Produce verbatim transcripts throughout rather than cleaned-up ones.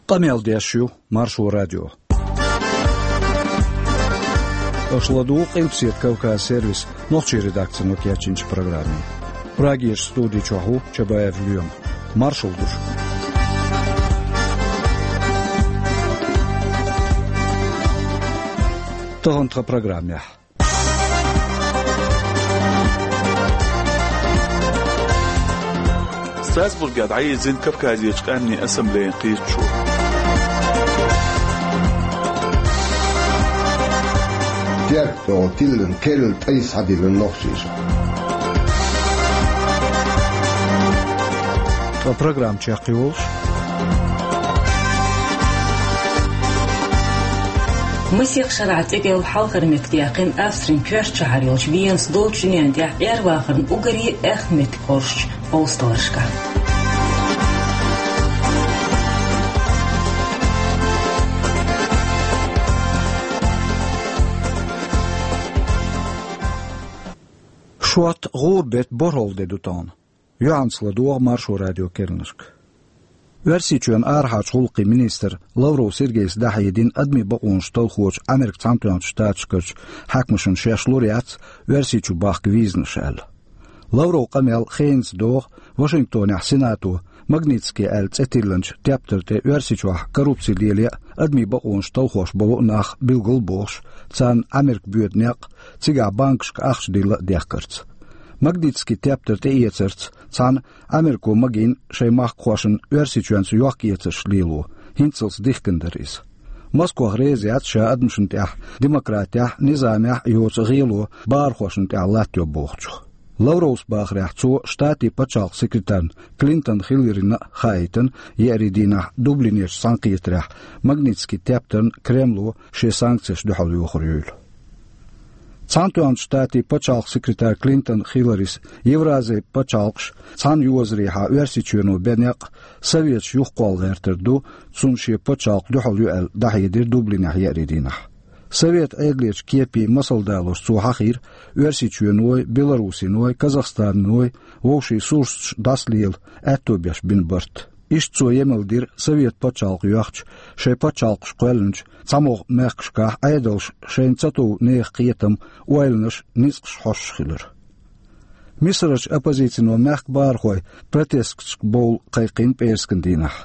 Къамел деш ю Маршо радио. Аша ладугӀу Къилбседа Кавказ сервисан нохчийн редакцино кечйинчу программе. Прагерчу студи чохь ву Чабаев Лоьма. Маршалла ду шуьга. Тахана тхан программехь. Страсбургехь дӀайирзина Кавказерчу къаьмнийн ассамблеян кхеташо. Теркан тӀехула тиллина керла тӀай схьадиллина нохчаша. Ткъа программа чекхйолуш. Масех шарахь цӀе кӀел хьалхара меттиг яьккхина Австрин коьртачу шахьар йолчу Венас долчу дуьненна тӀехь Ӏер вахарна уггаре аьхна меттиг хоржучу къовсадаларшкахь. Шот гӀуран беттан борхӀалгӀа де ду тахана. Юьхьанца ладогӀа Маршо радион керланашка. Оьрсийчоьнан арахьарчу гӀуллакхийн министра Лавров Сергейс дӀахьедина адамийн бакъонаш талхочу Америкин Цхьаьнатоьхначу Штаташкарчу хьаькамашна шаьш лур яц Оьрсийчу бахка визанаш аьлла. Лавровн къамел хенаца догӀу Вашингтонехь Сенато Магнитский аьлла цӀе тиллинчу тептар тӀе Оьрсийчохь коррупци лело а, адамийн бакъонаш талхош болу а нах билгалбохуш, царна Америка боьду некъ, цигахь банкашка ахча дилла а дехкарца. Магнитский тептар тӀеэцарца цхьаьна Америко магийна шайн махкахошна Оьрсийчоьнца йохк-эцарш лело, хӀинццалц дихкина дара иза. Москох реза яц ша адамашна тӀехь, демократехь, низамехь а йоцу гӀело бахархошна тӀехь латтайо бохучух. Лавровс бахарехь, цо Штатийн пачхьалкхан секретарна Клинтон Хилларина а хаийтина еарин дийнахь Дублинерчу цхьаьнакхетарехь Магнитский тептарна Кремло шен санкцеш дуьхьал йохор юйла. Цхьаьнатоьхначу Штатийн пачхьалкхан секретарь Клинтон Хилларис Евразин пачхьалкхаш цхьана йозарехьа Оьрсийчоьно бен некъ Советаш юхакхолла гӀертар ду, цунна шен пачхьалкх дуьхьал ю аьлла дӀахьедира Дублинехь еарин дийнахь. Совет Ӏедалерчу кепийн масал далош цо хьахийра Оьрсийчоьной, Беларусиной, Казахстанной вовшийн сурсаташ дӀасалела аьтто беш бина барт. Иштта цо емал дира Совет пачхьалкх йоьхча, шайн пачхьалкхаш кхоьллинчу цхьамогӀа мехкашкахь Ӏедалша шайна ца тов нехан кхетам, ойланаш, ницкъаш хьоьстуш хилар. Мисарчу оппозицино мехкан бахархой протесташка бовла кхайкхина пӀераскан дийнахь.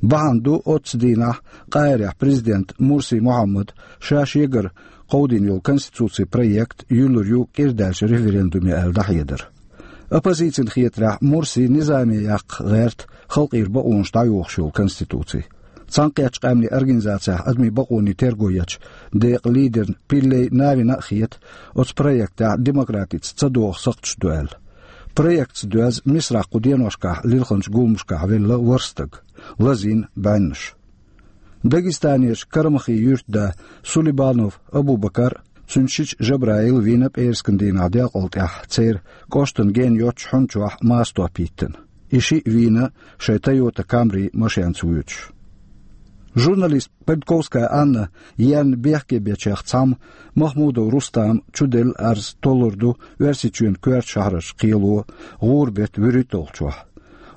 Бахьана ду оццу дийнахь Къахьирехь президент Мурси Мухьаммада ша шегара кховдийна йолу конституцин проект юьллур ю кӀира даьллачу референдуме аьлла дӀахьедар. Оппозицина хетарехь, Мурси низаме яккха гӀерта халкъера бакъонаш дӀайохуш йолу конституци. Цхьаьнакхеттачу къаьмнийн организацехь адамийн бакъонийн терго ечу декъан лидерна Пиллей Навина а хета, оцу проектехь демократица ца догӀу сакхташ ду аьлла. Проектаца доьзна Мисрахь кху деношкахь лилхинчу гуламашкахь велла ворхӀ стаг, лазийна бӀеннаш. Дагестанерчу Карамахин юьртда Сулейбанов Абубакар а, цуьнан шича Жабраил а вийна пӀераскан дийнахь делкъал тӀехь церан кӀоштан гена йоцчу хьуьнчохь мастор йиттина. И шиъ вийна шайн Toyota Camry машенца воьдуш. Журналист Политковская Анна ерна бехке бечех цхьамма Махмудов Рустама чуделла арз толлур ду Оьрсийчоьнан коьртачу шахьаршка кхело гӀуран беттан вуьрхӀитталгӀачохь.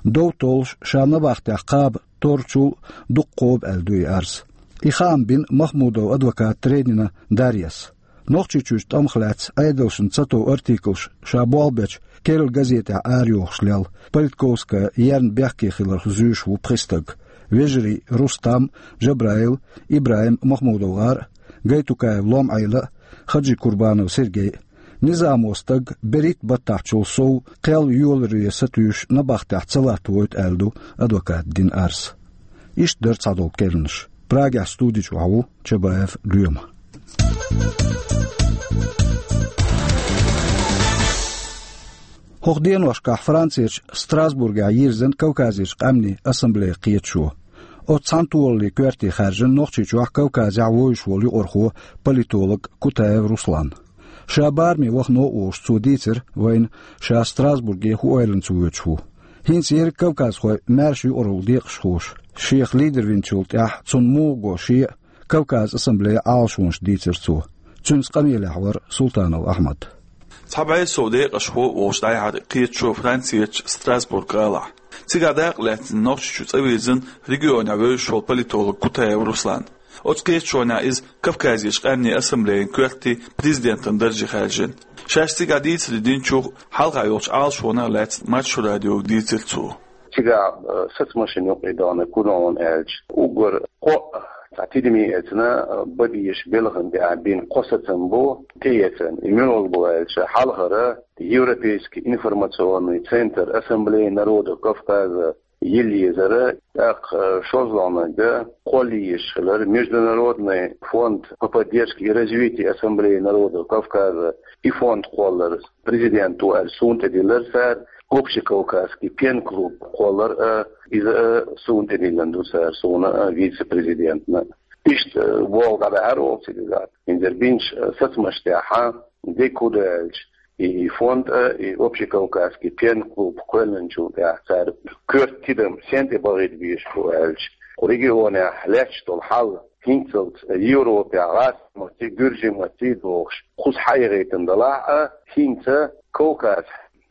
Дов толлуш ша набахтехь кхаба торрачул а дукха кхоба аьлла ду и арз. И хаам бина Махмудовн адвоката Тренина Дарьяс. Нохчийчуьрчу тӀамах лаьцна Ӏедалшна ца тов артиклаш ша болх бечу керла газетехь арайохуш лелла Политковская ерна бехке хиларх зуьйш ву пхи стаг: вежарий Рустам, Жабраил, ИбрахӀим МахмудовгӀар, Гайтукаев Лом-Ӏела, Хаджикурбанов Сергей. Низамо стаг берхӀитта баттахьчул сов кхел йоларе сатуьйсуш набахтехь ца латтавойту аьлла ду адвоката дина арз. Иштта дара цхьадолу керланаш. Прагехь студи чохь ву Чабаев Лоьма. ХӀокху деношкахь Францерчу Страсбургехь йирзина Кавказерчу къаьмнийн ассамблея кхеташо. Оцу цхьана толаллин коьрте хаьржина Нохчийчохь Кавказехь вуьйш волу юкъархо, политолог Кутаев Руслан. Ша бараме вахана а волуш, цо дийцира вайна ша Страсбурге хӀун ойланца воьдуш ву. ХӀинца ерриг кавказхой маьрша юкъаралла декъашхоша, шех лидер винчул тӀаьхьа цунна муха го шен а Кавказ ассамблеян Ӏалашонаш, дийцира цо. Цуьнца къамелехь вара Султанов Ахьмад. Цхьа бӀе сов декъашхо волуш дӀаяьхьира кхеташо Францерчу Страсбург гӀалахь. Цигахь дакъа лаьцна Нохчийчу цӀа вирзина регионехь вевзаш волу политолог Кутаев Руслан. Оцу кхеташонехь иза Кавказерчу къаьмнийн ассамблеян коьртан президентан дарже хаьржина. Шаьш цигахь дийцаре динчух, хьалха йолчу Ӏалашонах лаьцна Маршо радиога дийцира цо. Цигахь, э, сацамашина юкъа и догӀна куьйгалла аьлча, уггар кхоъ цхьа тидаме эцна, э, бан безаш белхан тӀехь бина кхо сацам бу, тӀеэцна. И муьлха бу аьлча, хьалхара Европейский информационный центр Ассамблеи народов Кавказа йилла езара, тӀаккха, э, шолгӀаниг кхолла езаш хилар Международный фонд по поддержке и развитию Ассамблеи народов Кавказа, и фонд кхоллар президент ву аьлла суна тӀедиллира цара, Общекавказский пен-клуб кхоллар а, иза а суна тӀедиллина ду цара, суна а, вице-президентна. Иштта, э, болх дӀабаьхьира оха цига. ХӀинца бинчу, э, сацамаш тӀехь, дика хӀун ду аьлча, и, и фонд а, и Общекавказский пен-клуб кхоьллинчул тӀаьхьа цара коьрта тидам сен тӀе бахийта безаш бу аьлча, кху регионехь лаьтташ долу хьал хӀинццалц Европехь, гӀазкхийн маттий, гуьржийн маттий дохуш, кхуза хьаегӀийтина далахь а, хӀинца Кавказ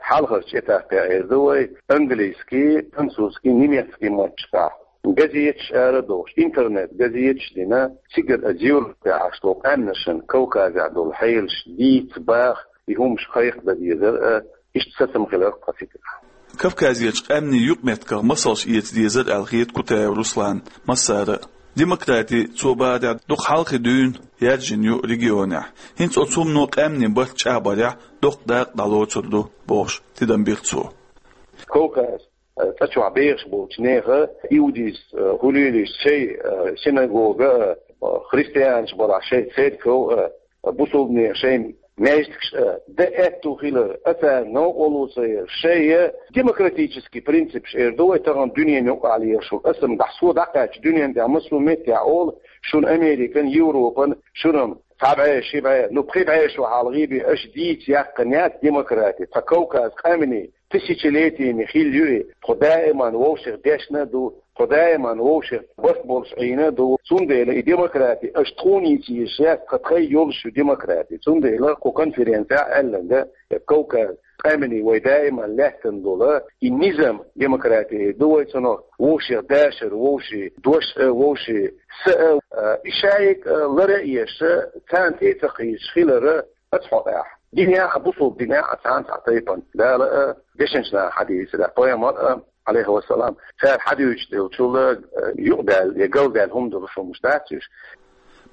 хьалхарчу этапехь эр ду вай, английский, французский, немецкий матташкахь газеташ ара а дохуш, интернет-газеташ а дина, цигара а Европехь Ӏаш долу къаьмнашна Кавказехь долу хьелаш дийца, баха, и хӀумаш кхайкха дан дезара а, иштта сацам хилар тхан цигахь. Кавказерчу къаьмнийн юкъаметтигах масалш эца дезара аьлла хета Кутаев Русланна массара а. Демократи, цо бахарехь, дукха хьалхе дуьйна яьржина ю регионехь. ХӀинца оцу хӀумано къаьмнийн барт чӀагӀбарехь доккха дакъа дӀалоцур ду, бохуш, тидам бира цо. Кавказ, э, цӀа чохь бехаш болчу нехан иудейс, э, хӀулилийс шайн, э, синагога, э, христианаш балахь шайн церковь, э, бусулбанийн шайн маьждигаш а дан аьтто хилар, а царна новкъарло ца яр, шайн демократический принципаш эр ду вай тахана дуьненан юкъахь лелаш волу. Аса-м дӀа-, со дӀакхаьчча дуьненан тӀехь массо а меттехь олу шуна Американ, Европан, шуна-м цхьа бӀе, ши бӀе, ну, пхи бӀе шо хьалха бен аша дийца яьккхина яц демократи, тхан Кавказ къаьмнийн тысячелетиями хилла ю и, тхо даиман вовшех дешна а ду, тхо даиман вовшех барт болуш Ӏийна а ду. Цундела и демократи аша тхуна йийца езаш яц, тхан тхайн йолуш ю демократи. Цундела кху конференцехь аьлланга, Кавказ къаьмнийн вай даиман лаьттина долу и низам демократи ду вай цунах, вовшех дашар, вовшийн дош а, вовшийн са а, а, и шайга а лара а еш, царна тӀе а ца кхийсаш хилар а, аса хьо тӀехь. Динехь а, бусулба динехь а цхьана цхьа тайпана. Дала а, дешначу наха хьадийцира, пайхамар а, Ӏалайхи вассалам, цара хьадуьйцуш долчул а, юкъадаьлла я галдаьлла хӀума долуш хӀумаш дац уьш.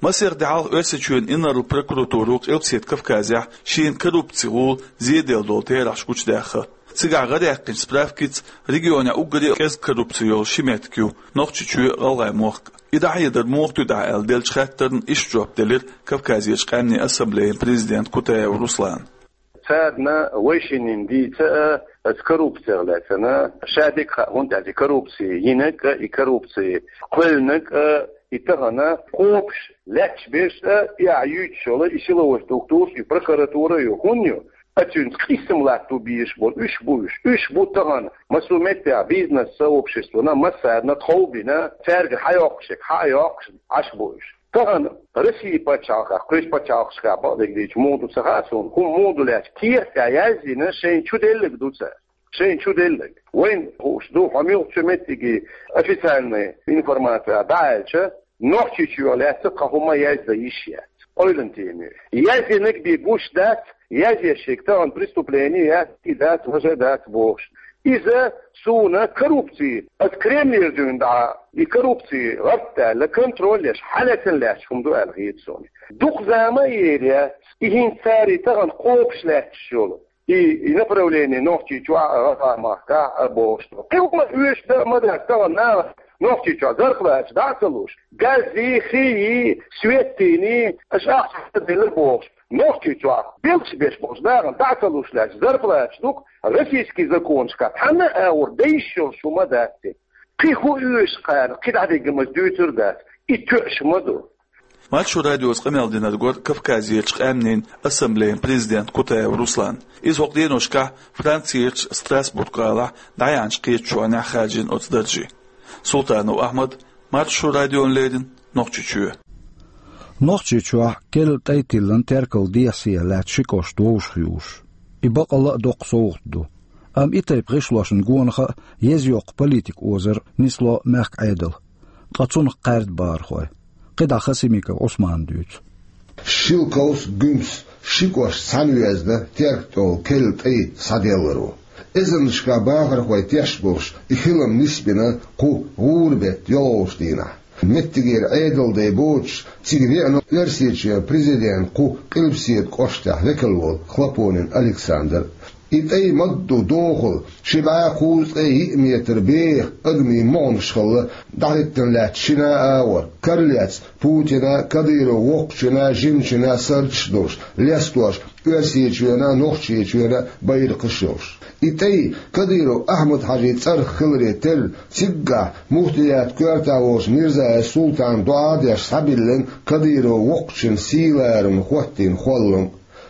Масех де хьалха Оьрсийчоьнан инарла прокуратуро Къилбаседа Кавказехь шена коррупцин гӀула зеделла долу терахьаш гучудаьхна. Цигахь гӀараьккхинчу справкица регионехь уггаре а кӀезиг коррупци йолу ши меттиг ю Нохчийчоь а, ГӀалгӀайн мохк а. И дӀахьедар муха туьду ахь аьлла деллачу хаттарна иштта жоп делира Кавказерчу къаьмнийн ассамблеян президента Кутаев Руслана. Царна вай шиннан дийца а, аса коррупцех лаьцна, ша дика хаьа, хӀунда аьлча и коррупци йинарг а, и коррупци кхоьллинарг а, и тахана кхобуш лаьтташ берш а, и ахь юьйцуш йолу и силовой структураш, и прокуратура а ю, хӀунда ю? А цуьнца къийсам латто безаш болу уьш бу уьш. Уьш бу тахана массо а меттехь бизнес-сообществона, массарна тхов бина, цаьрга хьайоккхуш ерг хьа а йоккхуш Ӏаш бу уьш. Тахана Россин пачхьалкхехь, кхечу пачхьалкхашкахь бакъдерг дийцича муха ду ца хаьа суна, хӀума муха ду лаьцна, кехат тӀехь яздина шайна чу делларг ду цара. Шайна чу делларг. Вайна хууш ду, хьо муьлххачу меттиге официальная информация дӀааьлча, Нохчийчоьнах лаьцна тхан хӀума яздан йиш яц. Къойлан теме. Яздинарг бен гуш дац, язъеш ерг тахана преступление яц, и дац, важа дац бохуш. Иза суна коррупци, аса Кремлера дуьйна дӀа, и коррупци гӀарт даьлла, контроль еш, хьалаьцна лаьтташ хӀума ду аьлла хета суна. Дукха зама а ер яц, и хӀинца цара и тахана кхобуш лаьтташ йолу. И, и направление Нохчийчохь а, ГӀалгӀайн махкахь а бохуш ду. Кхин хӀума оьшуш дан а ма дац, тахана наха Нохчийчохь зарплаташ дӀа а ца луш, гази, хии, светини, аша ахча ца делла бохуш. Нохчийчохь белхаш беш болчу нахана дӀа а ца луш лаьтташ зарплаташ ду-кх, российский законашкахь цхьанна а агӀор дан йиш йолуш хӀума дац и. Кхин хӀун оьшу кхарна, кхин дӀадиггамаш дуьйцур а дац, и тоьуш ма ду. Маршо радиоца къамел динарг вара Кавказерчу къаьмнийн ассамблеян президент Кутаев Руслан. Иза хӀокху деношкахь Францерчу Страсбург-гӀалахь дӀаяьхьначу кхеташонехь хаьржина оцу дарже. Султанов Ахьмад, Маршо радиона леррина, Нохчийчоь. Нохчийчохь керла тӀай тиллина теркал дехьа-сехьа лаьцна ши кӀошт вовшахъюуш. И бакъалла а доккха совгӀат ду. Амма и тайпа гӀишлошна гонах а еза йоккха политика озар нисло мехка Ӏедал, ткъа цунах кхаьрда бахархой. КхидӀа Хасимиков Ӏусмана дуьйцу. Шелковск, Гуьмсе ши кӀошт цхьаьна везна Теркан тӀехула керла тӀай схьаделлар ву. Эзарнашкахь бахархой тешаш болуш и хилам нисбина кху гӀуран беттан йолхалгӀачу дийнахь. Меттигера Ӏедалан дай боцуш, цига веана Оьрсийчоьнан президентан кху Къилбаседа кӀоштехь векал волу Хлопонин Александр. И тӀай ма-дду дохалла, ши бӀе кхузткъе йиъ метр беха адамийн могӀанаш хилла, дӀахӀиттина лаьтташ шина а агӀор, кара лецна Путина, Кадыровн воккхачунна, жимачунна сардаш а долуш, лестош Оьрсийчоьнан а, Нохчийчоьнан а байракхаш а йолуш. И тӀай Кадыров Ахьмад-Хьаьжин цӀарах хиларе терра, циггахь муфтиятан коьртехь волчу Мирзаев Султана доӀа а деш схьабиллина Кадыровн воккхачун сий-ларам хӀоттийна хӀоллам.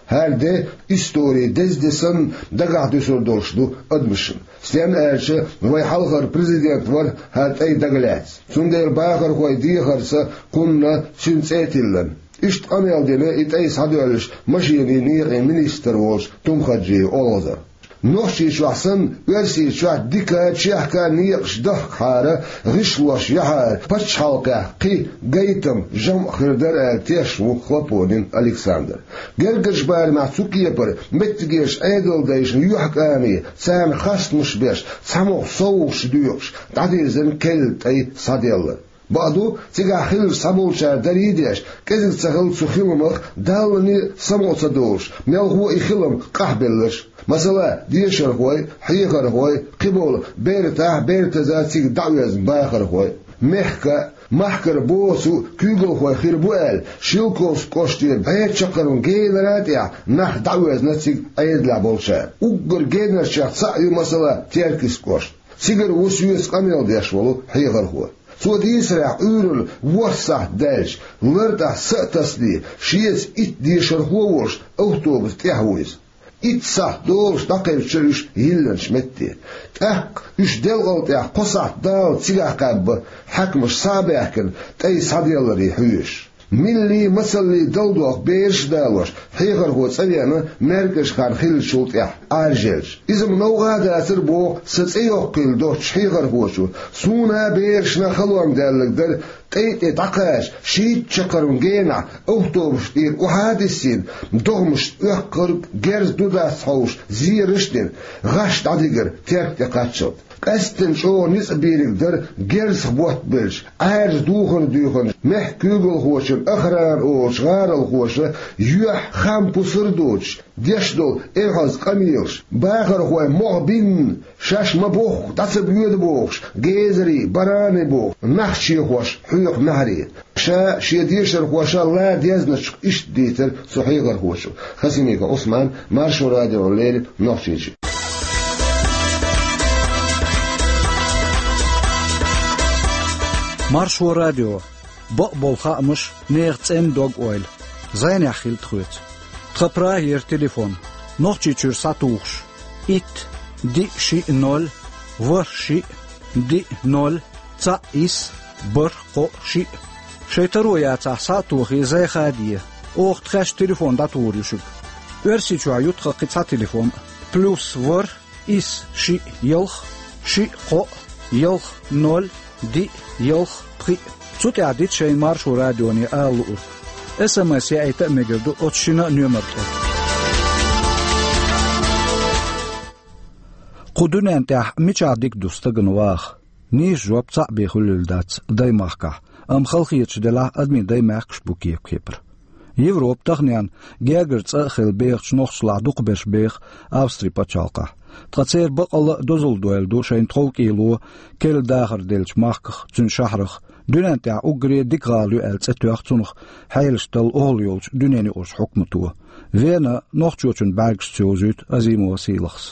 ХӀара де историн деза де санна дагахь дуьсур долуш ду адамашна. Стенна аьлча, вайн хьалхара президент вара хӀара тӀай дагалаьцна. Цундела бахархойн дехарца кхунна цуьнан цӀе а тиллина. Иштта къамел дина и тӀай схьадоьллуш машенийн некъийн министр волчу Тумхаджиев Олхазар. Нохчийчохь санна, Оьрсийчохь дика, чехка некъаш дахкахьара, гӀишлош яхьара, пачхьалкхехь кхин гайтам, жамӀ хир дара аьлла тешаш ву Хлопонин Александр. Гергарчу барамехь цу кепара меттигерчу Ӏедалдайшна юьхькӀаме, царна хастамаш беш, цхьамогӀа совгӀаташ доькъуш, дӀадирзина керла тӀай схьаделлар. Бакъду, цигахь хилларш цхьаболчара даре а деш, кӀезиг ца хилла цу хиламах Далла самукъа ца долуш, мелхо а и хилам къахьбелларш. Масала, дешархой, хьехархой, кхиболу бертахь, бертаза цига дӀаоьзна бахархой. Мехкан а, махкара боцу куьйгалхой хир бу аьлла, Шелковски кӀоштера бӀе чаккхарма генара а тӀехь нах дӀаоьзна цига Ӏедалехь болчара. Уггар генарчех цхьаъ ю, масала, Теркийски кӀошт. Цигара ву соьца къамел деш волу хьехархо. Цо дийцарехь, Ӏуьйранна ворхӀ сахьт даьлча, лартӀехь са а тасале, шеца итт дешархо а волуш, автобусан тӀехь ву иза. Итт сахьт долуш дӀакхаьчча уьш йиллинчу метте. ТӀаккха уьш делкъал тӀехь кхо сахьт далалц цигахь кхаьбна, хьаькамаш схьа а баьхкина, тӀай схьаделларе хьоьжуш. Милли, мацалли далдоккху бераш а далош, хьехархо цӀа веана, маьркӀажа хан хиллачул тӀаьхьа Ӏаьржа елча. Иза ма новкъа а дацара, боху сан цӀе йоккхийла доцучу хьехархочо. Суна а, берашна а халонга даьлларг дара, тӀай тӀе дӀакхача, шийтта чаккхарма генахь автобус тӀера охьа а диссина, догӀмашца оьккхург, герз ду-дац хьовсуш, зераш а дина, гӀаш дӀадигира Терк тӀе кхаччалц. Къаьсттина чӀогӀа ницкъ бийриг дара герзах боттабеллачу, Ӏаьржа духар а дуьйхинчу мехкан куьйгалхочун охрана олучу гӀаролхоша, юьхь-хам пусар а доцуш, деш долу эвхьаза къамелаш, бахархой могӀа бинна, шаьш ма-бохху, дӀа ца боьду бохуш, гезарий, бараний бохуш, нах чехош хьоькху маьхьарий. Ша шен дешархоша ла дезначух иштта дийцира цу хьехархочо. Хасимиков Ӏусман, Маршо радиона леррина, Нохчийчоь. Маршо радио. Бакъболу хаамаш, нехан цӀенна дог-ойла. ЗӀенехь хила тхоьца. Тхан Прагера телефон. Нохчийчуьра схьатухуш: итт, диъ, шиъ, ноль, ворхӀ, шиъ, диъ, ноль, цхьаъ, исс, бархӀ, кхоъ, шиъ. Шайн таро яцахь, схьа а тохий, зӀе хаде. Оха тхаьш телефон дӀатухур ю шуьга. Оьрсийчохь ю тхан кхин цхьа телефон: плюс ворхӀ, исс, шиъ, ялх, шиъ, кхоъ, ялх, ноль, диъ, ялх, пхиъ. Цу тӀехь дита шайна Маршо радионе ала луург. СМС яийта а мегар ду оцу шина а номер тӀе. Кху дуьнен тӀехь мичахь дика ду стагана ваха? Нийса жоп цхьаъ бен хуьлийла дац даймахкахь, амма халахеташ делахь, адамийн даймехкаш бу кепа-кепара. Европа таханенна гергара цӀа а хилла бехачу нохчашлахь дукхахберш беха Австри пачхьалкхахь. Ткъа церан бакъалла а дозалла дойла ду шайна тховкӀело керла дахар деллачу махках, цуьнан шахьарах. Дуьнен тӀехь уггаре а дика гӀала ю аьлла цӀе тоьхна цунах хьелаш талла охӀла йолчу дуьненаюкъарчу хьукмато. Вена нохчочун бӀаьргашца йовзуьйту Азимова Сийлахьас.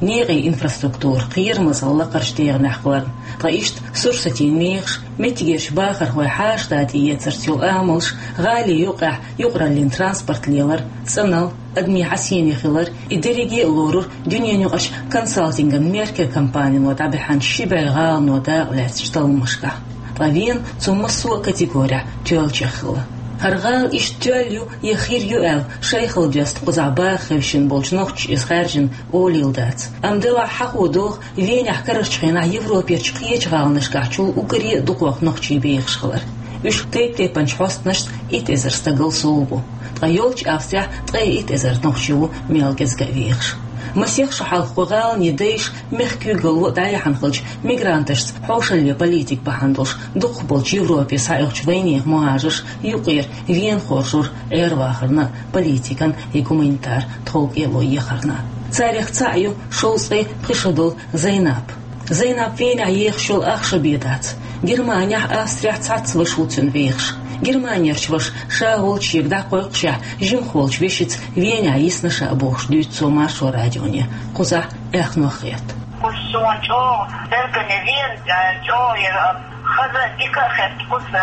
Некъийн инфраструктура кхерамазалла лакхарчу дегӀанехь кхоьллина, ткъа иштта сурсатийн мехаш, меттигерчу бахархойн хьаша-дада эцарца йолу амалш, гӀалин юкъехь юкъараллин транспорт лелар, цӀанал, адамийн хьасене хилар, и дерриге а лорура дуьненаюкъарчу консалтинган Меркер компанино дӀабаьхьначу ши бӀе гӀалано дакъалаьцначу талламашкахь. Ткъа Вена цу массо а категорехь тоьллачех хилла. ХӀара гӀала иштта тоьлла ю я хир ю аьлла, шайхал доьзна кхузахь баха хевшина болчу нохчаша иза хаьржина олийла дац. Амма делахь хьахо догӀу, Венехь карарчу хенахь Европерчу кхечу гӀаланашкахь чул уггаре а дукхох нохчий бехаш хилар. Уьш тайп-тайпанчу хьостанашца итт эзар стагал сов бу. Ткъа йолчу Австрехь ткъе итт эзар нохчи ву мел кӀезга а вехаш. Масех шо хьалха кху гӀаланийн дайша мехкан куьйгалло дӀаяьхьна хилча, мигранташца хьошалле политика бахьана долуш дукхахболчу Европе схьаоьхучу вайнехан мухӀажарша юкъара Вена хоржура Ӏер-вахарна, политикан я гуманитар тховкӀело ехарна. Царех цхьаъ ю шовзткъе пхи шо долу Зайнап. Зайнап Венехь ехаш йолу ахча бен дац. Германехь, Австрехь цхьацца ваша ву цуьнан вехаш. Германерчу вашас ша волчу шега дӀакхойкхушехь, жимахволчу вешица Венехь йисна ша бохуш дуьйцу цо Маршо радионе. Кхузахь аьхнох хетта. Кхуза суна чӀогӀа, Бергане Вена, чӀогӀа яра, хаза а, дика а хетта, кхуза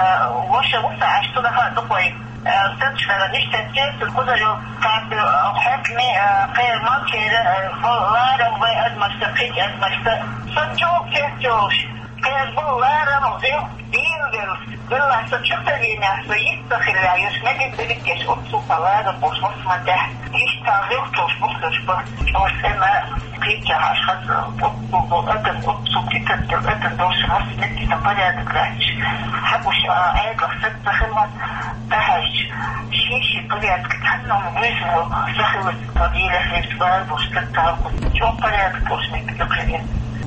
ваша ву сан, аш цунах а дукхой. Э, сацчахьара ниш теттера, кхузара йолу кхаьрда, э, хьаькаме, э, кхерам, кхера, э, ларам вай адамашца, кхечу адамашца. Сан чӀогӀа кеста йолуш, кхерам, ларам, гӀиллакх, дийна велла, велла сан чу ца вийна, со йист ца хилла, йиш мегар дерриг деш, оццул сан ларам болуш, массо а тӀехь, йиш ца гӀиллакх долуш, бухлуш бу, чӀогӀа сема. Кхечахьа аша хаза, оццул бу адам, оццул дитаттал адам долуш, хӀара метте сан порядок лаьтташ. Хьабуш, а, Ӏедалх саца ца хилла, тӀаьхьаьжча, шен-шен порядок, цхьанна а вуьзна, сан хилла, сан дийрехь хилча, бара болуш, саца ца хилла, чӀогӀа порядок болуш метте ца хилла.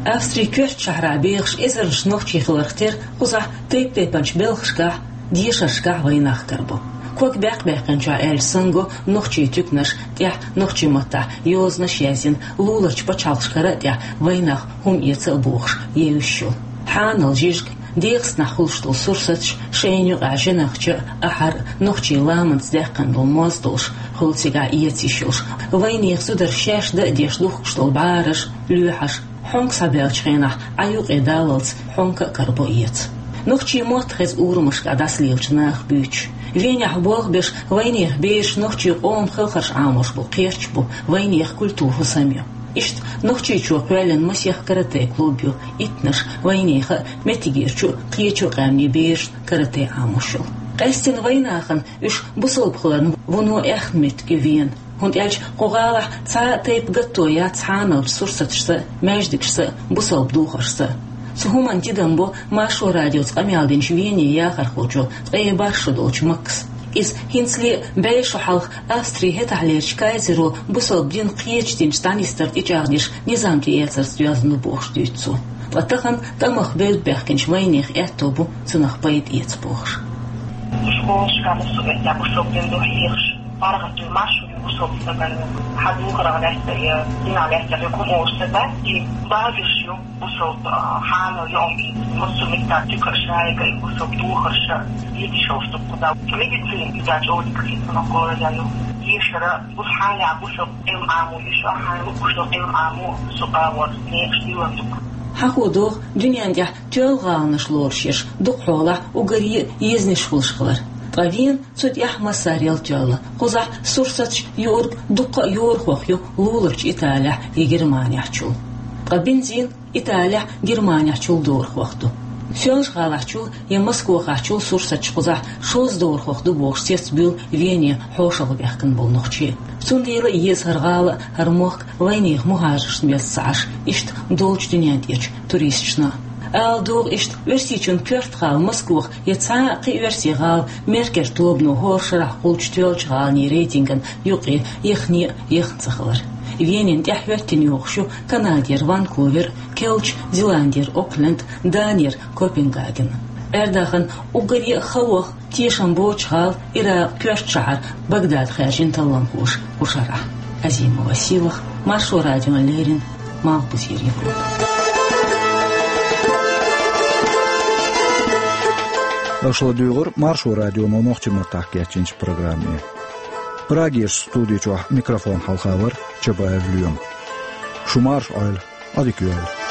Австрин коьртачу шахьарахь бехаш эзарнаш нохчий хиларх тера кхузахь тайп-тайпанчу белхашкахь, дешаршкахь вайнах карабо. Ког баьккх-баьккхинчохь аьлча санна го нохчийн туьканаш, тӀехь нохчийн маттахь йозанаш язйина, луларчу пачхьалкхашкара а тӀехь вайнах хӀума эца а бохуш евзаш йолу. Хьанал, жижиг, дегӀастанахь хуьлуш долу сурсаташ, шайна юкъахь жинах ча а, ахьар а, нохчийн ламанца даьккхина долу моз долуш, хуьлу цигахь эца йиш йолуш. Вайнехан зударша шаьш дан а деш духкуш долу бӀараш, лоьхьаш, хьонка схьабаьллачу хенахь Ӏа юкъе даллалц хьонка а карабо эца. Нохчийн мотт хеза урамашкахь дӀасалелачу наха буьйцуш. Венехь болх беш вайнехан бераш нохчийн къоман хелхарш Ӏамош болу кхерч бу, вайнехан культура хӀусам ю. Иштта Нохчийчу кхоьллина масех каратэ клуб ю, иттанаш вайнехан а, меттигерчу а, кхечу а къаьмнийн берашна каратэ Ӏамош йолу. Къаьстина вайнахана уьш бусалба хиларна вуно аьхна меттиг ю Вена. ХӀунда аьлча кху гӀалахь цхьа а тайпа гатто яц хьаналчу сурсаташца а, маьждигашца а, бусалба духаршца а. Цу хӀуманна тидам бо Маршо радиоца къамел динчу Вене яхархочо ткъе бархӀ шо долчу Макса. Иза хӀинцале а бӀе шо хьалха Австрин хӀетахьлерчу кайзеро бусалба дин кхечу динца дӀанисдар тӀечӀагӀдеш низам тӀеэцарца доьзна ду бохуш дуьйцу цо. Ткъа тахана тӀамах бевдда баьхкинчу вайнехан аьтто бу цунах пайда эца бохуш. Школашкахь массо а меттехь бусалба дин ду хьехаш. ПаргӀат ду, маршо ю бусалба стагана. Хьан духарах лаьцна я динах лаьцна я хӀума олуш ца дац, и багиш ю бусалба, а, хьанал ю, массо а меттехь туькаш, шайга и бусалба духарш, дийдиш йолуш ду кхузахь. Медицина иза чӀогӀа дика хетта, ма гора я ю. Дешара, бус хьанехь бусалба Ӏилма Ӏамо, йиш а хьан луъуш долу Ӏилма Ӏамо, со агӀор некъаш диллина ду. Хьахо догӀу, дуьнен тӀехь тоьлла гӀаланаш лоруш ерш дукха хьолахь уггаре а езанаш хуьлуш хилар. Ткъа Вена цу тӀехь массарел тоьлла. Кхузахь сурсаташ юург дуккха а йорахох ю луларчу Италехь я Германехьчул. Ткъа бензин Италехь, Германехьчул дорахох ду. Соьлжа-ГӀалахьчул я Москвахахьчул сурсаташ кхузахь шозза дорахох ду бохуш цецбуьйлу Вене хьошалгӀа баьхкина болу нохчий. Цундела а еза хӀара гӀала а, хӀара мохк а вайнехан мухӀажаршна бесса ца Ӏаш, иштта долчу дуьнен тӀерачу туристашна а. Ала догӀу иштта, Оьрсийчун коьрта гӀала Москвах я цхьа а кхин оьрсийн гӀала Меркер тобано хӀора шарахь кхуллучу тоьллачу гӀаланийн рейтинган юкъе яхне а яхна ца хилар. Венина тӀаьхьа хӀоьттина йогӀуш ю Канадера Ванкувер, Керлачу Зеландера Окленд, Данера Копенгаген. Ӏер-дахана уггаре а хавах, тешам боцуш гӀала Иракъан коьртачу шахьар Багдад хаьржина талламхоша кху шарахь. Азима Василах, Маршо радиона леррина, Малхбузера Европа. Аша ладуьйгӀура Маршо радионо нохчийн маттахь кечйинчу программе. Прагерчу студи чохь микрофон хьалха вара Чабаев Лоьма. Шу марша Ӏойла, Ӏадика йойла.